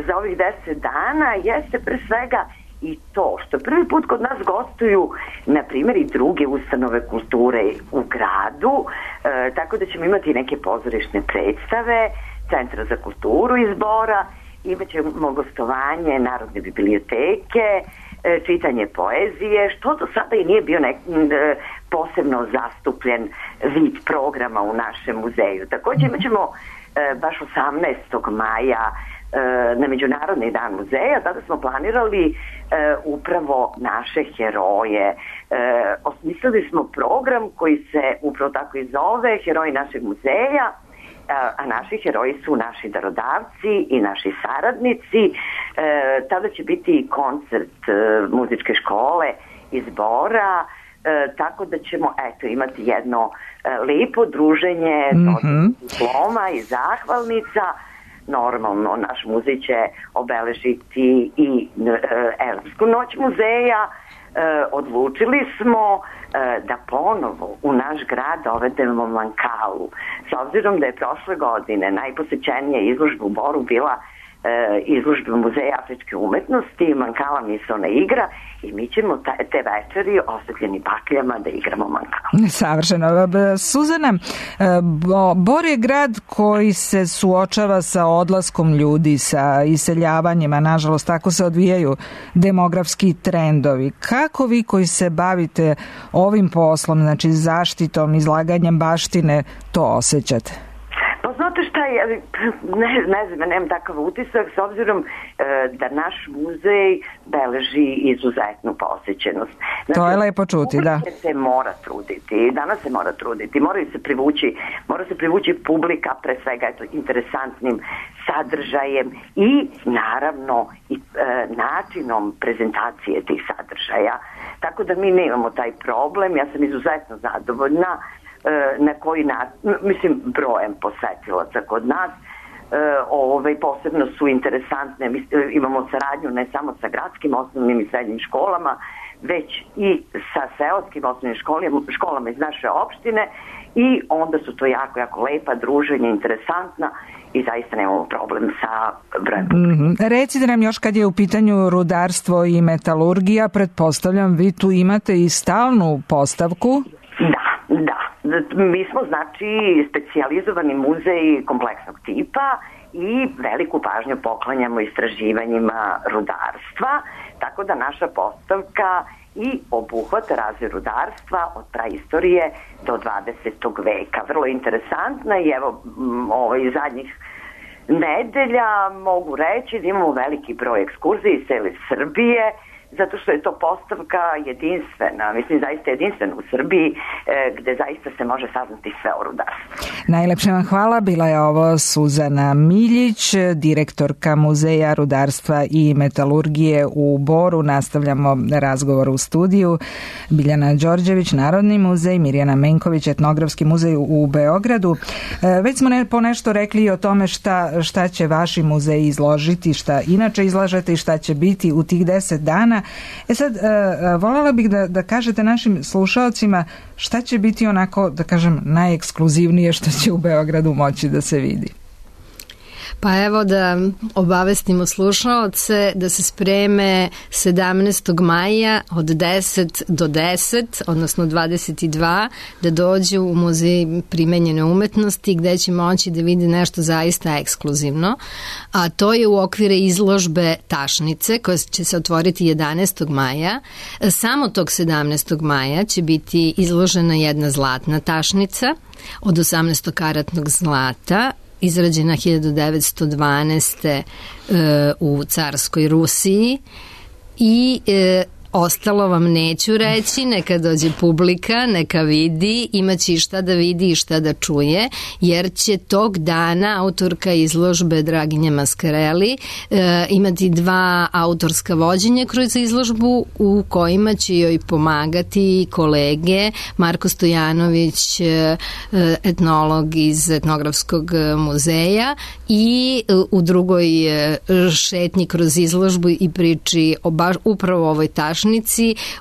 za ovih deset dana jeste pre svega i to što prvi put kod nas gostuju, na primjer, i druge ustanove kulture u gradu, e, tako da ćemo imati neke pozorišne predstave Centra za kulturu iz Bora, imat ćemo gostovanje Narodne biblioteke, e, čitanje poezije, što do sada i nije bio nek, e, posebno zastupljen vid programa u našem muzeju. Također imat ćemo e, baš osamnaestog maja na Međunarodni dan muzeja, tada smo planirali e, upravo naše heroje. E, osmislili smo program koji se upravo tako i zove Heroji našeg muzeja, a, a naši heroji su naši darodavci i naši saradnici. E, tada će biti koncert e, muzičke škole iz Bora, e, tako da ćemo eto imati jedno e, lepo druženje, mm-hmm. diploma i zahvalnica. Normalno, naš muzej će obeležiti i e, Evropsku noć muzeja. E, odlučili smo e, da ponovo u naš grad dovedemo Mankalu. S obzirom da je prošle godine najposećenija izložba u Boru bila e, izložba Muzeja afričke umetnosti, Mankala misaona igra, i mi ćemo ta, te večeri osvetljeni bakljama da igramo Mankalu. Savršeno. Suzana, Bor je grad koji se suočava sa odlaskom ljudi, sa iseljavanjima, nažalost tako se odvijaju demografski trendovi. Kako vi koji se bavite ovim poslom, znači zaštitom, izlaganjem baštine, to osjećate? Pa znate šta, ja, ne, ne znam, nemam takav utisak, s obzirom e, da naš muzej beleži izuzetnu posjećenost. Znači, to je lepo čuti, da. Se mora truditi, danas se mora truditi, moraju se privući, mora se privući publika, pre svega eto, interesantnim sadržajem i naravno i e, načinom prezentacije tih sadržaja. Tako da mi nemamo taj problem, ja sam izuzetno zadovoljna na koji način, mislim, brojem posetilaca kod nas. E, ovaj, posebno su interesantne, mi imamo saradnju ne samo sa gradskim osnovnim i srednjim školama, već i sa seoskim osnovnim školama, školama iz naše opštine, i onda su to jako, jako lepa druženja, interesantna, i zaista nemamo problem sa brojem. Mm-hmm. Recite nam još, kad je u pitanju rudarstvo i metalurgija, pretpostavljam vi tu imate i stalnu postavku? Da, da. Mi smo, znači, specijalizovani muzej kompleksnog tipa i veliku pažnju poklanjamo istraživanjima rudarstva, tako da naša postavka i obuhvata razvoj rudarstva od praistorije do dvadesetog veka. Vrlo interesantna, i evo ovaj, zadnjih nedelja mogu reći da imamo veliki broj ekskurzija iz cele Srbije, zato što je to postavka jedinstvena, mislim zaista jedinstvena u Srbiji, e, gde zaista se može saznati sve o rudarstvu. Najlepše vam hvala, bila je ovo Suzana Miljić, direktorka Muzeja rudarstva i metalurgije u Boru. Nastavljamo razgovor u studiju. Biljana Đorđević, Narodni muzej, Mirjana Menković, Etnografski muzej u Beogradu. E, već smo ne, po nešto rekli i o tome šta, šta će vaši muzeji izložiti, šta inače izlažete i šta će biti u tih deset dana. E sad, uh, voljela bih da, da kažete našim slušalcima šta će biti onako, da kažem, najekskluzivnije što će u Beogradu moći da se vidi. Pa evo da obavestimo slušaoce da se spreme sedamnaestog maja od deset do deset, odnosno dvadeset dva, da dođu u Muzej primenjene umetnosti gde će moći da vidi nešto zaista ekskluzivno, a to je u okvire izložbe Tašnice koja će se otvoriti jedanaestog maja. Samo tog sedamnaestog maja će biti izložena jedna zlatna tašnica od osamnaestokaratnog zlata, izrađena hiljadu devetsto dvanaeste. E, u carskoj Rusiji, i e, ostalo vam neću reći, neka dođe publika, neka vidi, imaće i šta da vidi i šta da čuje, jer će tog dana autorka izložbe Draginja Maskareli e, imati dva autorska vođenja kroz izložbu u kojima će joj pomagati kolege Marko Stojanović, e, etnolog iz Etnografskog muzeja, i e, u drugoj e, šetnji kroz izložbu i priči o baš upravo ovoj tašnici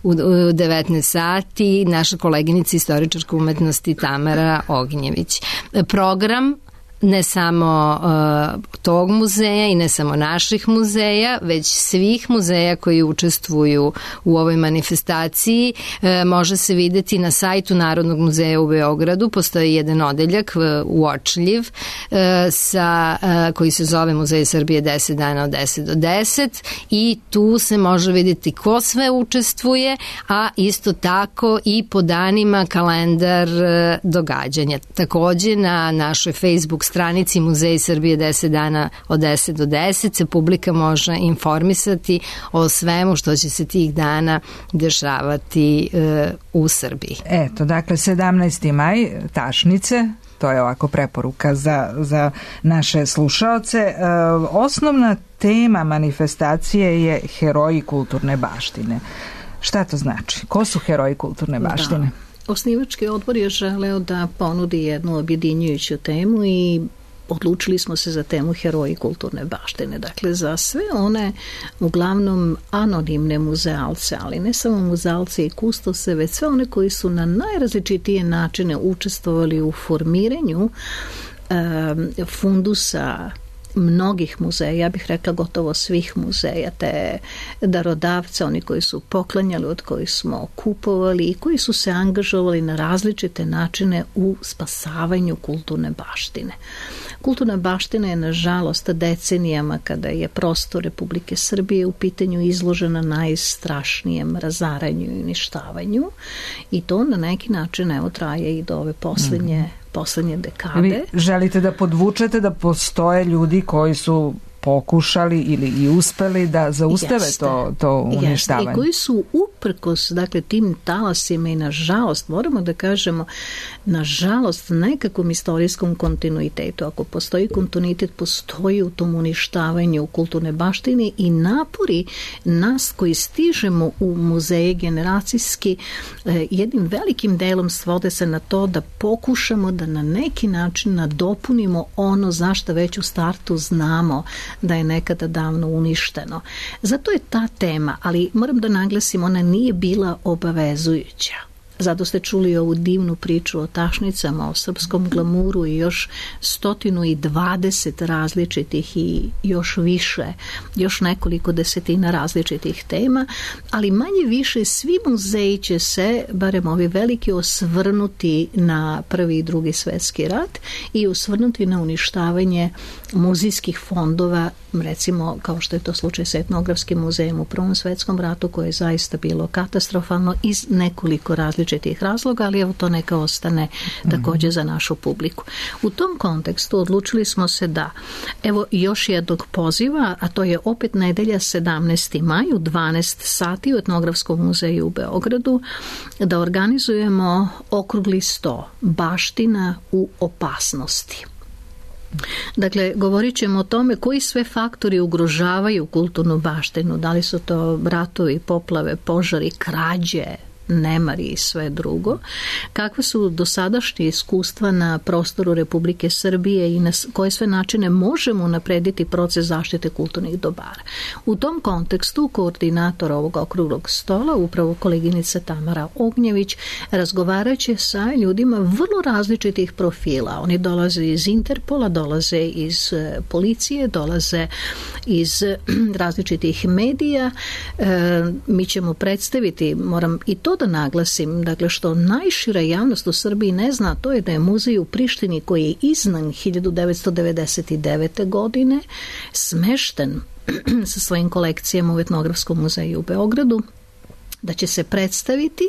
u devetnaest sati naša koleginica istoričarka umetnosti Tamara Ognjević. Program ne samo uh, tog muzeja i ne samo naših muzeja, već svih muzeja koji učestvuju u ovoj manifestaciji uh, može se videti na sajtu Narodnog muzeja u Beogradu. Postoji jedan odeljak uh, uočljiv uh, sa, uh, koji se zove Muzej Srbije deset dana od deset do deset, i tu se može vidjeti ko sve učestvuje, a isto tako i po danima kalendar uh, događanja. Takođe na našoj Facebook stranici Muzej Srbije deset dana od deset do deset se publika može informisati o svemu što će se tih dana dešavati e, u Srbiji. Eto, dakle, sedamnaesti maj, Tašnice, to je ovako preporuka za, za naše slušaoce. E, osnovna tema manifestacije je heroji kulturne baštine. Šta to znači? Ko su heroji kulturne baštine? Da. Osnivački odbor je želeo da ponudi jednu objedinjujuću temu i odlučili smo se za temu heroji kulturne baštine. Dakle, za sve one uglavnom anonimne muzealce, ali ne samo muzealce i kustose, već sve one koji su na najrazličitije načine učestvovali u formiranju um, fundusa mnogih muzeja, ja bih rekla gotovo svih muzeja, te darodavce, oni koji su poklanjali, od kojih smo kupovali i koji su se angažovali na različite načine u spasavanju kulturne baštine. Kulturna baština je, nažalost, decenijama, kada je prostor Republike Srbije u pitanju, izložena najstrašnijem razaranju i uništavanju, i to na neki način evo traje i do ove poslednje mm. poslednje dekade. Vi želite da podvučete da postoje ljudi koji su pokušali ili i uspeli da zaustave Jeste. to, to uništavanje. Jeste. I koji su uprkos, dakle, tim talasima i nažalost, moramo da kažemo, nažalost, nekakvom istorijskom kontinuitetu. Ako postoji kontinuitet, postoji u tom uništavanju kulturne baštine i napori nas koji stižemo u muzeje generacijski jednim velikim delom svode se na to da pokušamo da na neki način nadopunimo ono zašto već u startu znamo da je nekada davno uništeno. Zato je ta tema, ali moram da naglasim, ona nije bila obavezujuća. Zato ste čuli ovu divnu priču o tašnicama, o srpskom glamuru i još stotinu i dvadeset različitih i još više, još nekoliko desetina različitih tema, ali manje više svi muzeji će se, barem ovi veliki, osvrnuti na prvi i drugi svetski rat i osvrnuti na uništavanje muzejskih fondova, recimo kao što je to slučaj sa etnografskim muzejem u Prvom svetskom ratu, koje je zaista bilo katastrofalno iz nekoliko različitih razloga, ali evo to neka ostane također za našu publiku. U tom kontekstu odlučili smo se da, evo još jednog poziva, a to je opet nedelja sedamnaesti maj u dvanaest sati u Etnografskom muzeju u Beogradu, da organizujemo okrugli sto baština u opasnosti. Dakle, govorit ćemo o tome koji sve faktori ugrožavaju kulturnu baštinu, da li su to ratovi, poplave, požari, krađe, nemari i sve drugo, kakve su dosadašnje iskustva na prostoru Republike Srbije i na koje sve načine možemo unaprediti proces zaštite kulturnih dobara. U tom kontekstu koordinator ovog okruglog stola, upravo koleginica Tamara Ognjević, razgovaraće sa ljudima vrlo različitih profila. Oni dolaze iz Interpola, dolaze iz policije, dolaze iz različitih medija. E, mi ćemo predstaviti, moram i to da naglasim, dakle, što najšira javnost u Srbiji ne zna, to je da je muzej u Prištini, koji je iznan hiljadu devetsto devedeset devete. godine, smešten sa svojim kolekcijama u Etnografskom muzeju u Beogradu, da će se predstaviti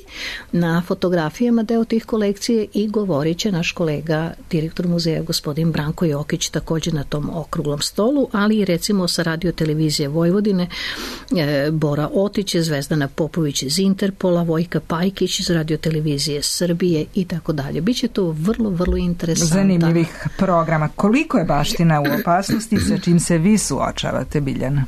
na fotografijama deo tih kolekcije i govorit će naš kolega, direktor muzeja, gospodin Branko Jokić, također na tom okruglom stolu, ali i recimo sa Radio televizije Vojvodine, e, Bora Otić, Zvezdana Popović iz Interpola, Vojka Pajkić iz Radio televizije Srbije i tako dalje. Biće to vrlo, vrlo interesantno. Zanimljivih programa. Koliko je baština u opasnosti, sa čim se vi suočavate, Biljana?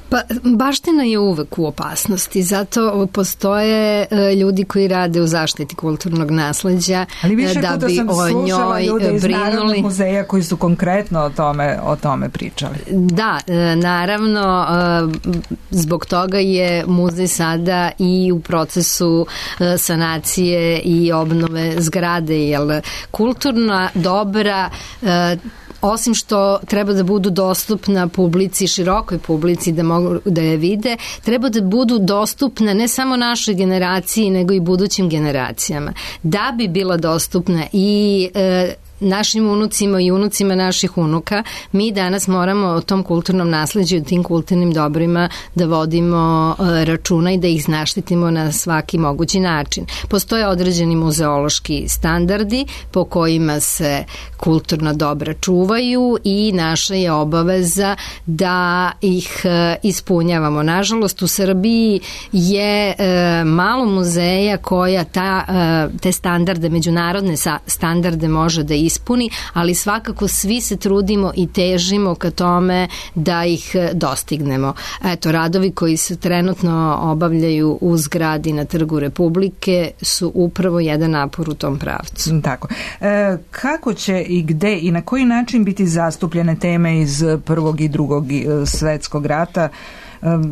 Pa, baština je uvek u opasnosti, zato postoje e, ljudi koji rade u zaštiti kulturnog nasleđa, ali više da puta bi sam o njoj ljude iz brinuli. Narodnog muzeja koji su konkretno o tome, o tome pričali. Da, e, naravno, e, zbog toga je muzej sada i u procesu e, sanacije i obnove zgrade, jer kulturna dobra e, osim što treba da budu dostupna publici, širokoj publici da mogu da je vide, treba da budu dostupne ne samo našoj generaciji, nego i budućim generacijama. Da bi bila dostupna i e, našim unucima i unucima naših unuka, mi danas moramo o tom kulturnom nasleđu i tim kulturnim dobrima da vodimo e, računa i da ih zaštitimo na svaki mogući način. Postoje određeni muzeološki standardi po kojima se kulturna dobra čuvaju i naša je obaveza da ih e, ispunjavamo. Nažalost, u Srbiji je e, malo muzeja koja ta, e, te standarde, međunarodne sa, standarde može da ispuni, ali svakako svi se trudimo i težimo ka tome da ih dostignemo. Eto, radovi koji se trenutno obavljaju u zgradi na Trgu Republike su upravo jedan napor u tom pravcu. Tako. E, kako će i gde i na koji način biti zastupljene teme iz prvog i drugog svetskog rata,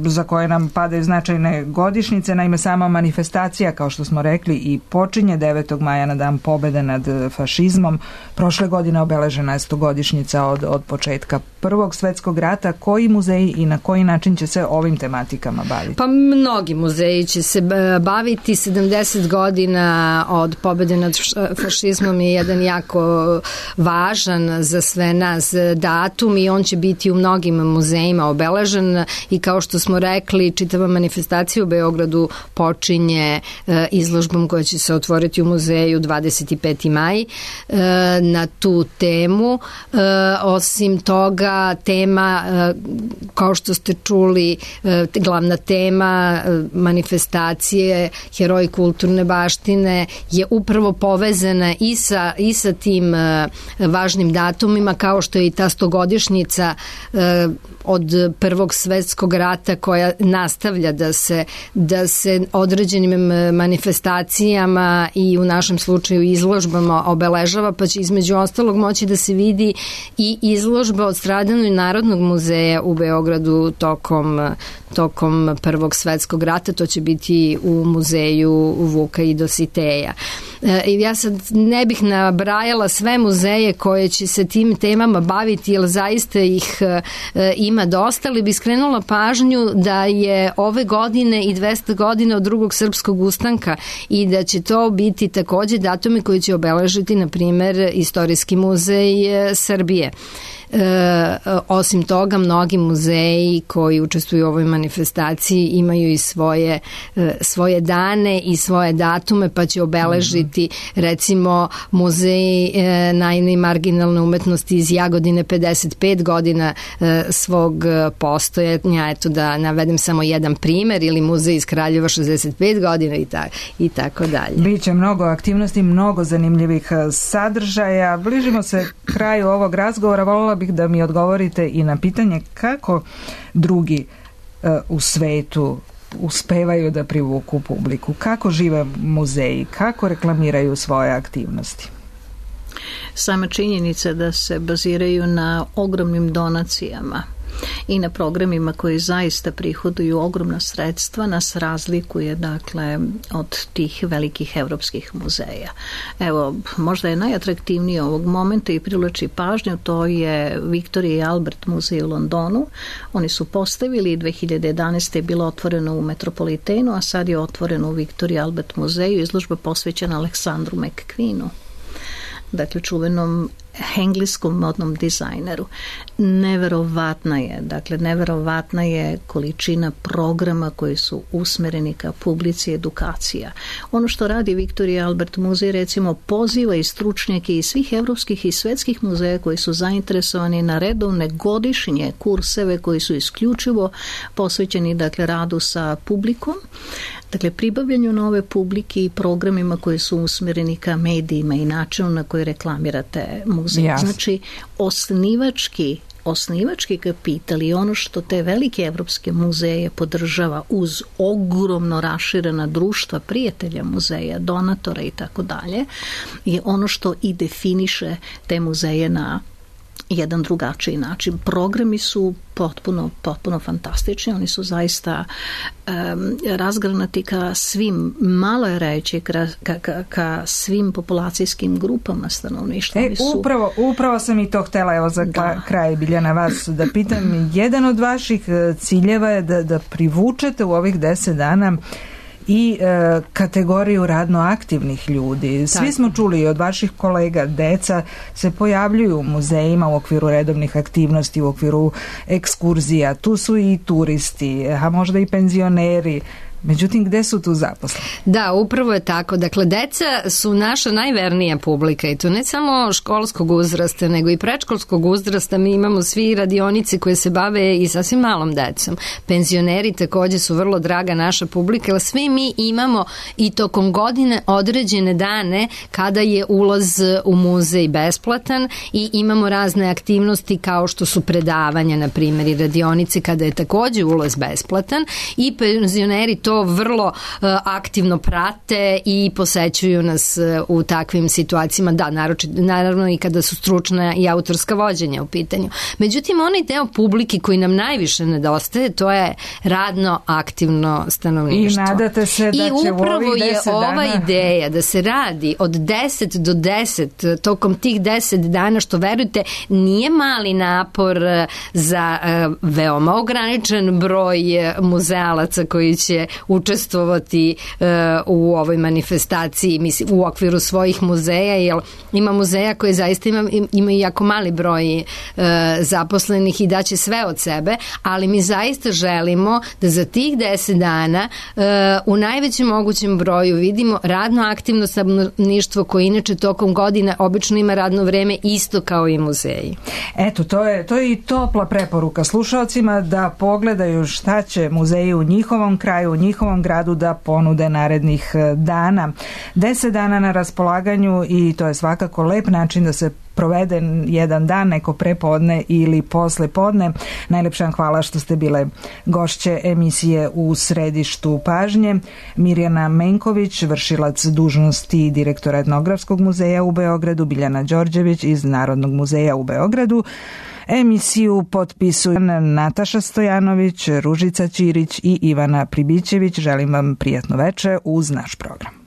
za koje nam padaju značajne godišnjice? Naime, sama manifestacija, kao što smo rekli, i počinje devetog maja na dan pobede nad fašizmom. Prošle godine obeležena je stogodišnjica od, od početka prvog svetskog rata. Koji muzeji i na koji način će se ovim tematikama baviti? Pa mnogi muzeji će se baviti. sedamdeset godina od pobede nad fašizmom je jedan jako važan za sve nas datum i on će biti u mnogim muzejima obeležen i kao što smo rekli, čitava manifestacija u Beogradu počinje e, izložbom koja će se otvoriti u muzeju dvadeset peti maj e, na tu temu. E, osim toga, tema, e, kao što ste čuli, e, glavna tema e, manifestacije Heroji kulturne baštine je upravo povezana i sa, i sa tim e, važnim datumima, kao što je i ta stogodišnjica e, od prvog svetskog rata koja nastavlja da se, da se određenim manifestacijama i u našem slučaju izložbama obeležava, pa će između ostalog moći da se vidi i izložba od Stradanog narodnog muzeja u Beogradu tokom, tokom prvog svetskog rata. To će biti u muzeju Vuka i Dositeja. E, ja sad ne bih nabrajala sve muzeje koje će se tim temama baviti, jer zaista ih e, ima dosta, ali bi skrenula pažnju da je ove godine i dvesta godina od drugog srpskog ustanka i da će to biti takođe datumi koji će obeležiti, na primer, Istorijski muzej Srbije. E, osim toga, mnogi muzeji koji učestvuju u ovoj manifestaciji imaju i svoje, e, svoje dane i svoje datume, pa će obeležiti recimo muzej e, najne i marginalne umetnosti iz Jagodine pedeset pet godina e, svog postojanja, eto da navedem samo jedan primer, ili muzej iz Kraljeva šezdeset pet godina i, ta, i tako dalje. Biće mnogo aktivnosti, mnogo zanimljivih sadržaja. Bližimo se kraju ovog razgovora. Volila bih da mi odgovorite i na pitanje kako drugi uh, u svetu uspevaju da privuku publiku, kako žive muzeji, kako reklamiraju svoje aktivnosti. Sama činjenica da se baziraju na ogromnim donacijama i na programima koji zaista prihoduju ogromna sredstva nas razlikuje, dakle, od tih velikih evropskih muzeja. Evo, možda je najatraktivnije ovog momenta i privlači pažnju, to je Victoria i Albert muzej u Londonu. Oni su postavili, dve hiljade jedanaeste je bilo otvoreno u Metropolitenu, a sad je otvoreno u Victoria i Albert muzeju, izložba posvećena Aleksandru McQueenu, dakle čuvenom engleskom modnom dizajneru. Neverovatna je, dakle neverovatna je količina programa koji su usmereni ka publici, edukacija. Ono što radi Victoria i Albert muzej, recimo, poziva i stručnjake iz svih evropskih i svetskih muzeja koji su zainteresovani na redovne godišnje kurseve koji su isključivo posvećeni, dakle, radu sa publikom, dakle pribavljanju nove publike i programima koji su usmereni ka medijima i načinu na koji reklamirate muzej. Jasne. Znači, osnivački osnivački kapital i ono što te velike evropske muzeje podržava uz ogromno raširena društva prijatelja muzeja, donatora i tako dalje, je ono što i definiše te muzeje na jedan drugačiji način. Programi su potpuno, potpuno fantastični, oni su zaista um, razgranati ka svim, malo je reći, ka, ka, ka svim populacijskim grupama stanovništva. E, su... upravo, upravo sam i to htela, evo za da. kraj, Biljana, vas da pitam. Jedan od vaših ciljeva je da, da privučete u ovih deset dana i e, kategoriju radno aktivnih ljudi. Svi Tako. smo čuli od vaših kolega, deca se pojavljuju u muzejima u okviru redovnih aktivnosti, u okviru ekskurzija. Tu su i turisti, a možda i penzioneri. Međutim, gde su tu zaposleni? Da, upravo je tako. Dakle, deca su naša najvernija publika i to ne samo školskog uzrasta, nego i predškolskog uzrasta. Mi imamo svi radionice koje se bave i sasvim malom decom. Penzioneri takođe su vrlo draga naša publika, ali svi mi imamo i tokom godine određene dane kada je ulaz u muzej besplatan i imamo razne aktivnosti kao što su predavanja, na primjer, i radionice kada je takođe ulaz besplatan i penzioneri to vrlo uh, aktivno prate i posećuju nas uh, u takvim situacijama, da, naroči, naravno i kada su stručna i autorska vođenja u pitanju. Međutim, onaj deo publike koji nam najviše nedostaje, to je radno aktivno stanovništvo. I nadate se da I će u ovih deset dana... I upravo je ova ideja da se radi od deset do deset, tokom tih deset dana, što verujte, nije mali napor za uh, veoma ograničen broj muzealaca koji će učestvovati uh, u ovoj manifestaciji, mislim, u okviru svojih muzeja, jer ima muzeja koji zaista ima, ima jako mali broj uh, zaposlenih i daće sve od sebe, ali mi zaista želimo da za tih deset dana uh, u najvećem mogućem broju vidimo radno aktivno stanovništvo koje inače tokom godina obično ima radno vreme isto kao i muzeji. Eto, to je, to je i topla preporuka slušalcima da pogledaju šta će muzeji u njihovom kraju, u njihovom gradu da ponude narednih dana. Deset dana na raspolaganju i to je svakako lep način da se provede jedan dan, neko prepodne ili posle podne. Najlepša vam hvala što ste bile gošće emisije U središtu pažnje. Mirjana Menković, vršilac dužnosti direktora Etnografskog muzeja u Beogradu, Biljana Đorđević iz Narodnog muzeja u Beogradu. Emisiju potpisuju Nataša Stojanović, Ružica Ćirić i Ivana Pribićević. Želim vam prijatno veče uz naš program.